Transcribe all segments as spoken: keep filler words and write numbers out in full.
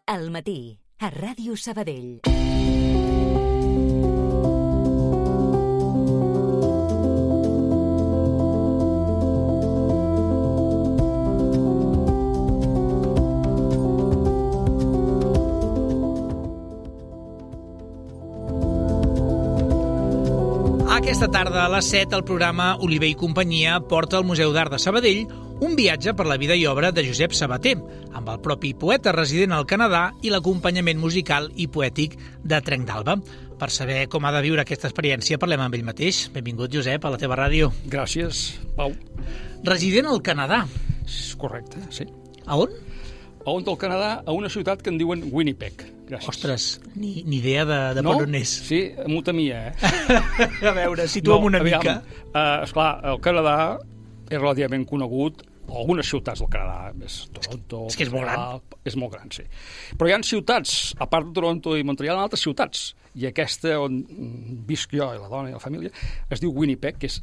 Al matí, a Ràdio Sabadell. Aquesta tarda a les set el programa Oliver i companyia porta al Museu d'Art de Sabadell un viatge per la vida i obra de Josep Sabater, amb el propi poeta resident al Canadà i l'acompanyament musical i poètic de Trenc d'Alba. Per saber com ha de viure aquesta experiència parlem amb ell mateix. Benvingut, Josep, a la teva ràdio. Gràcies, Pau. Resident al Canadà. És correcte, sí. A on? A on del Canadà? A una ciutat que en diuen Winnipeg. Gràcies. Ostres, ni, ni idea de, de no? per on és. Sí, m'ho temia, eh? A veure, situa'm no, una aviam, mica. Uh, esclar, el Canadà és relativament conegut, algunes ciutats del Canadà, és Toronto... És que és molt gran. És molt gran, sí. Però hi ha ciutats, a part de Toronto i Montreal, hi ha altres ciutats. I aquesta on visc jo i la dona i la família es diu Winnipeg, que és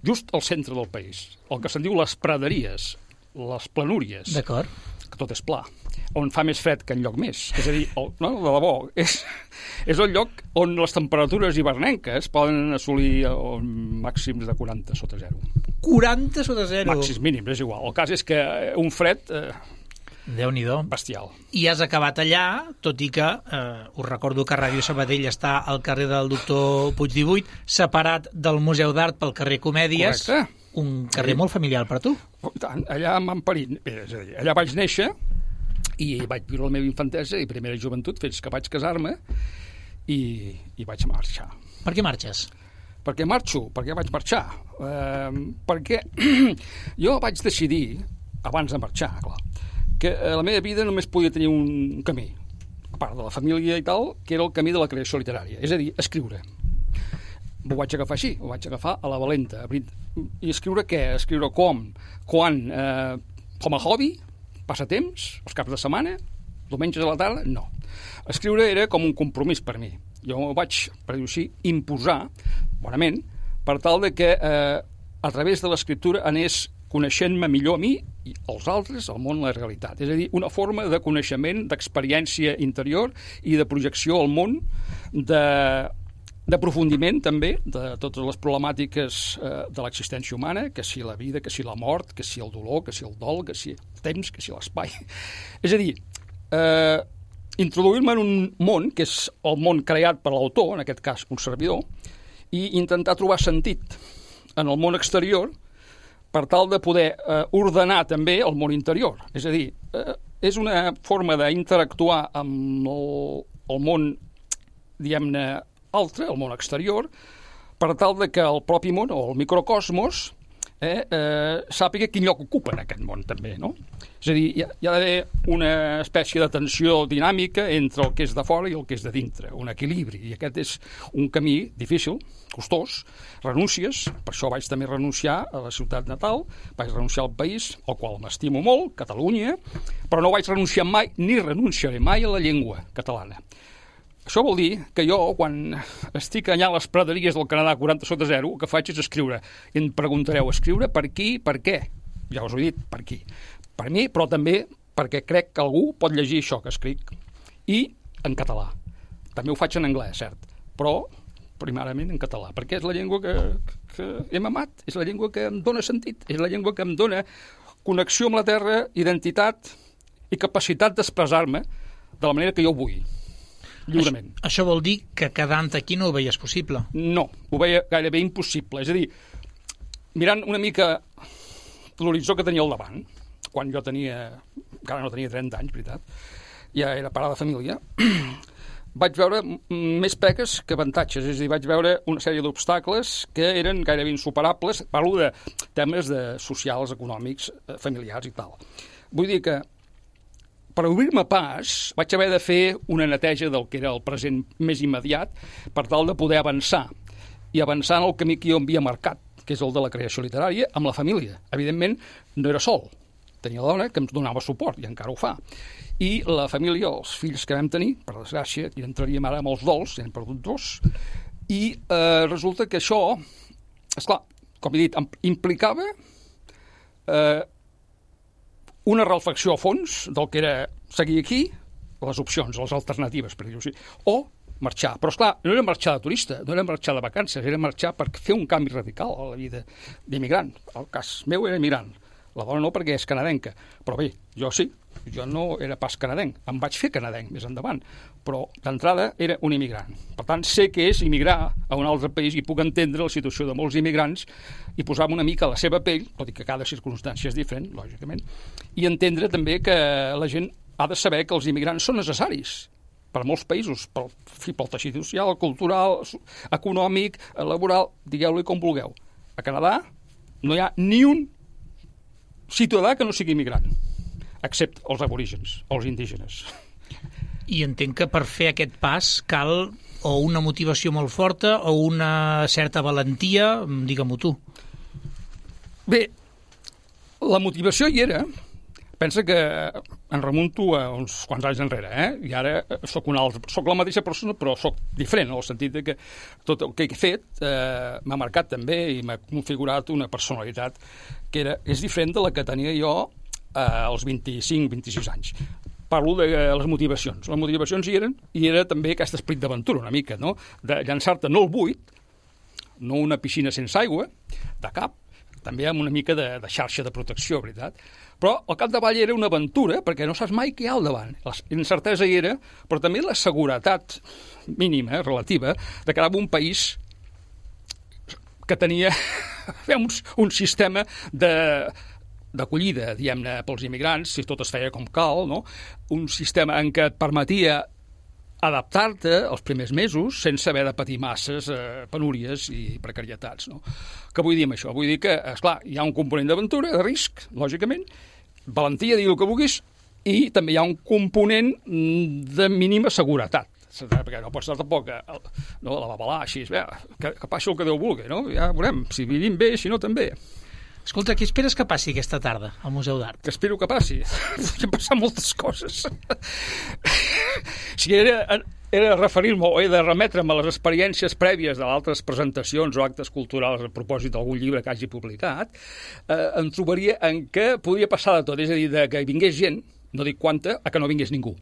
just al centre del país. El que se'n diu les praderies, les planúries. D'acord. Que tot és pla, on fa més fred que enlloc més. És a dir, el, no, de debò, és, és el lloc on les temperatures hivernenques poden assolir màxims de quaranta sota zero. quaranta sota zero? Màxims mínims, és igual. El cas és que un fred eh, Déu-n'hi-do. bestial. I has acabat allà, tot i que eh, us recordo que Ràdio Sabadell està al carrer del Doctor Puig divuit, separat del Museu d'Art pel carrer Comèdies. Correcte. Un carrer sí. molt familiar per tu. Tant, allà m'han parit. És a dir, allà vaig néixer i vaig viure la meva infantesa i primera joventut fins que vaig casar-me i, i vaig marxar. Per què marxes? Per què marxo? Per què vaig marxar? Eh, perquè jo vaig decidir, abans de marxar, clar, que la meva vida només podia tenir un camí, a part de la família i tal, que era el camí de la creació literària, és a dir, escriure. Ho vaig agafar així, ho vaig agafar a la valenta. I escriure què? Escriure com? Quan? Eh, com a hobby? Passatemps? Els caps de setmana? Diumenges a la tarda? No. Escriure era com un compromís per mi. Jo vaig, per dir-ho així, imposar, bonament, per tal de que eh, a través de l'escriptura anés coneixent-me millor a mi i als altres, al món, la realitat. És a dir, una forma de coneixement, d'experiència interior i de projecció al món, de... d'aprofundiment també de totes les problemàtiques eh, de l'existència humana, que si la vida, que si la mort, que si el dolor, que si el dol, que si el temps, que si l'espai. És a dir, eh, introduir-me en un món que és el món creat per l'autor, en aquest cas un servidor, i intentar trobar sentit en el món exterior per tal de poder eh, ordenar també el món interior. És a dir, eh, és una forma d'interactuar amb el, el món, diguem-ne, altre, el món exterior, per tal de que el propi món, o el microcosmos, eh, eh, sàpiga quin lloc ocupa en aquest món també, no? És a dir, hi ha, hi ha d'haver una espècie de tensió dinàmica entre el que és de fora i el que és de dintre, un equilibri, i aquest és un camí difícil, costós, renúncies, per això vaig també renunciar a la ciutat natal, vaig renunciar al país, al qual m'estimo molt, Catalunya, però no vaig renunciar mai, ni renunciaré mai a la llengua catalana. Això vol dir que jo, quan estic allà a les praderies del Canadà quaranta sota zero, el que faig és escriure. I em preguntareu, escriure per qui, per què? Ja us ho he dit, per qui. Per mi, però també perquè crec que algú pot llegir això que escric. I en català. També ho faig en anglès, cert, però primàriament en català, perquè és la llengua que, que hem amat, és la llengua que em dona sentit, és la llengua que em dona connexió amb la terra, identitat i capacitat d'expressar-me de la manera que jo vull. Lliurement. Això, això vol dir que quedant aquí no ho veies possible? No, ho veia gairebé impossible. És a dir, mirant una mica l'horitzó que tenia al davant, quan jo tenia, encara no tenia trenta anys, veritat, ja era pare de família, vaig veure més pegues que avantatges, és a dir, vaig veure una sèrie d'obstacles que eren gairebé insuperables, parlo de temes de socials, econòmics, familiars i tal. Vull dir que per obrir-me pas, vaig haver de fer una neteja del que era el present més immediat per tal de poder avançar i avançar en el camí que jo havia marcat, que és el de la creació literària, amb la família. Evidentment, no era sol. Tenia la dona que em donava suport, i encara ho fa. I la família, els fills que vam tenir, per desgràcia, i entraríem ara amb els dols, ja hem perdut dos, i eh, resulta que això, esclar, com he dit, implicava eh, una reflexió a fons del que era seguir aquí, les opcions, les alternatives, per dir-ho així. O marxar. Però, esclar, no era marxar de turista, no era marxar de vacances, era marxar per fer un canvi radical a la vida d'immigrant. El cas meu era immigrant. La dona no, perquè és canadenca. Però bé, jo sí, jo no era pas canadenc. Em vaig fer canadenc més endavant. Però, d'entrada, era un immigrant. Per tant, sé què és immigrar a un altre país i puc entendre la situació de molts immigrants i posar-me una mica a la seva pell, tot i que cada circumstància és diferent, lògicament, i entendre també que la gent ha de saber que els immigrants són necessaris per a molts països, pel, pel teixit social, cultural, econòmic, laboral, digueu-li com vulgueu. A Canadà no hi ha ni un ciutadà que no sigui immigrant, excepte els aborígens, els indígenes. I entenc que per fer aquest pas cal o una motivació molt forta o una certa valentia, digue-m'ho tu. Bé, la motivació hi era. Pensa que em remunto a uns quants anys enrere, eh? I ara soc una altra, soc la mateixa persona, però soc diferent, en el sentit de que tot el que he fet eh, m'ha marcat també i m'ha configurat una personalitat que era, és diferent de la que tenia jo eh, als vint-i-cinc vint-i-sis anys. Parlo de les motivacions. Les motivacions hi eren, i era també aquest esperit d'aventura, una mica, no? De llançar-te no al buit, no una piscina sense aigua, de cap, també amb una mica de, de xarxa de protecció, veritat? Però al capdavall era una aventura, perquè no saps mai què hi ha al davant. La incertesa hi era, però també la seguretat mínima, relativa, de quedar en un país que tenia un, un sistema de d'acollida, diguem-ne, pels immigrants, si tot es feia com cal, no? Un sistema en què et permetia adaptar-te els primers mesos sense haver de patir masses eh, penúries i precarietats. No? Què vull dir amb això? Vull dir que, esclar, hi ha un component d'aventura, de risc, lògicament, valentia, digui el que vulguis, i també hi ha un component de mínima seguretat, perquè no pots estar tampoc a, no, a la babalà, així, bé, que, que passi el que Déu vulgui, no? Ja veurem, si vivim bé, si no també. Escolta, què esperes que passi aquesta tarda al Museu d'Art? Que espero que passi. Podrien passar moltes coses. Si era, era referir-me o he de remetre'm a les experiències prèvies d'altres presentacions o actes culturals a propòsit d'algun llibre que hagi publicat, eh, em trobaria en què podria passar de tot. És a dir, de que vingués gent, no dic quanta, a que no vingués ningú.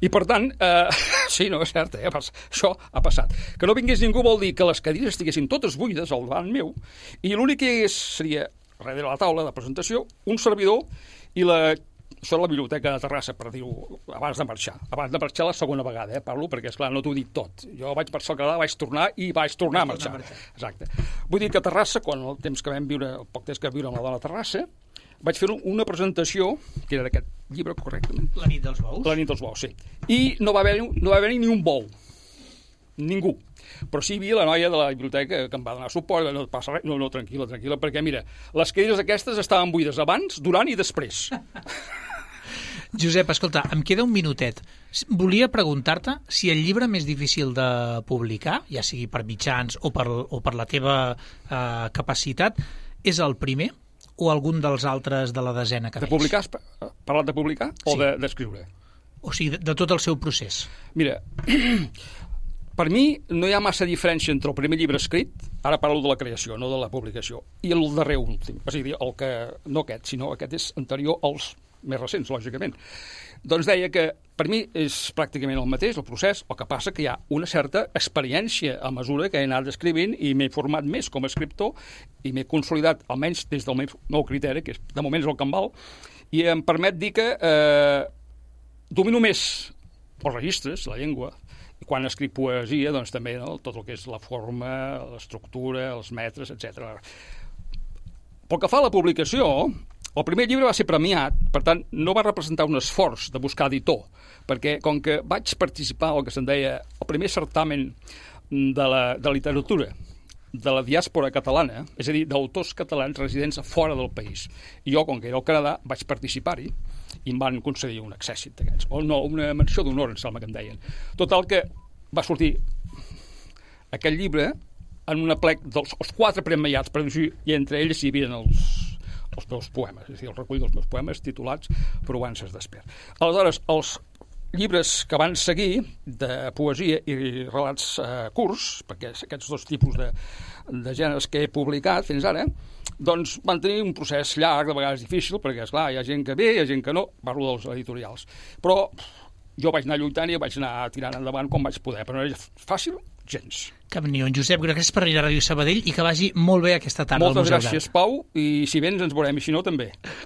I, per tant, eh, sí, no, és cert, eh, això ha passat. Que no vingués ningú vol dir que les cadires estiguessin totes buides al davant meu i l'únic que hi hagués seria, darrere la taula de presentació, un servidor i la... Això és la biblioteca de Terrassa, per dir-ho, abans de marxar. Abans de marxar la segona vegada, eh, parlo, perquè, esclar, no t'ho dic tot. Jo vaig marxar al Canadà, vaig tornar i vaig tornar a marxar. Exacte. Vull dir que a Terrassa, quan el temps que vam viure, el poc temps que vam viure amb la dona a Terrassa, vaig fer una presentació, que era d'aquest llibre, correctament. La nit dels bous? La nit dels bous, sí. I no va haver, no va haver ni un bou. Ningú. Però sí hi havia la noia de la biblioteca que em va donar suport, no passa res, no, no, tranquil·la, tranquil·la, perquè, mira, les cadires aquestes estaven buides abans, durant i després. Josep, escolta, em queda un minutet. Volia preguntar-te si el llibre més difícil de publicar, ja sigui per mitjans o per, o per la teva eh, capacitat, és el primer o algun dels altres de la desena que de fes? Publicar, has parlat de publicar o Sí. d'escriure? O sigui, de, de tot el seu procés. Mira, per mi no hi ha massa diferència entre el primer llibre escrit, ara parlo de la creació, no de la publicació, i el darrer últim. És a dir, el que, no aquest, sinó aquest és anterior als més recents, lògicament. Doncs deia que per mi és pràcticament el mateix, el procés, el que passa que hi ha una certa experiència a mesura que he anat escrivint i m'he format més com a escriptor i m'he consolidat, almenys des del meu criteri, que és, de moment és el que em val, i em permet dir que eh, domino més els registres, la llengua, i quan escric poesia, doncs també no, tot el que és la forma, l'estructura, els metres, etcètera. Pel que fa a la publicació, el primer llibre va ser premiat, per tant, no va representar un esforç de buscar editor, perquè com que vaig participar al que se'n deia el primer certamen de la de literatura de la diàspora catalana, és a dir, d'autors catalans residents fora del país. I jo, com que era al Canadà, vaig participar-hi i em van concedir un accèssit d'aquests. O no, una menció d'honor, em sembla que em deien. Total que va sortir aquest llibre en una plec dels els quatre premiats, per dir-ho, i entre ells hi havia els els meus poemes, és a dir, el recull dels meus poemes titulats Provences d'Esper. Aleshores, els llibres que van seguir de poesia i relats eh, curts, perquè aquests dos tipus de, de gèneres que he publicat fins ara, doncs van tenir un procés llarg, de vegades difícil, perquè, esclar, hi ha gent que ve, hi ha gent que no, parlo dels editorials. Però jo vaig anar lluitant i vaig anar tirant endavant com vaig poder, però no era fàcil gens. Cap ni un. Josep, gràcies per venir a Ràdio Sabadell i que vagi molt bé aquesta tarda. Moltes gràcies, Pau, i si vens ens veurem, i si no també.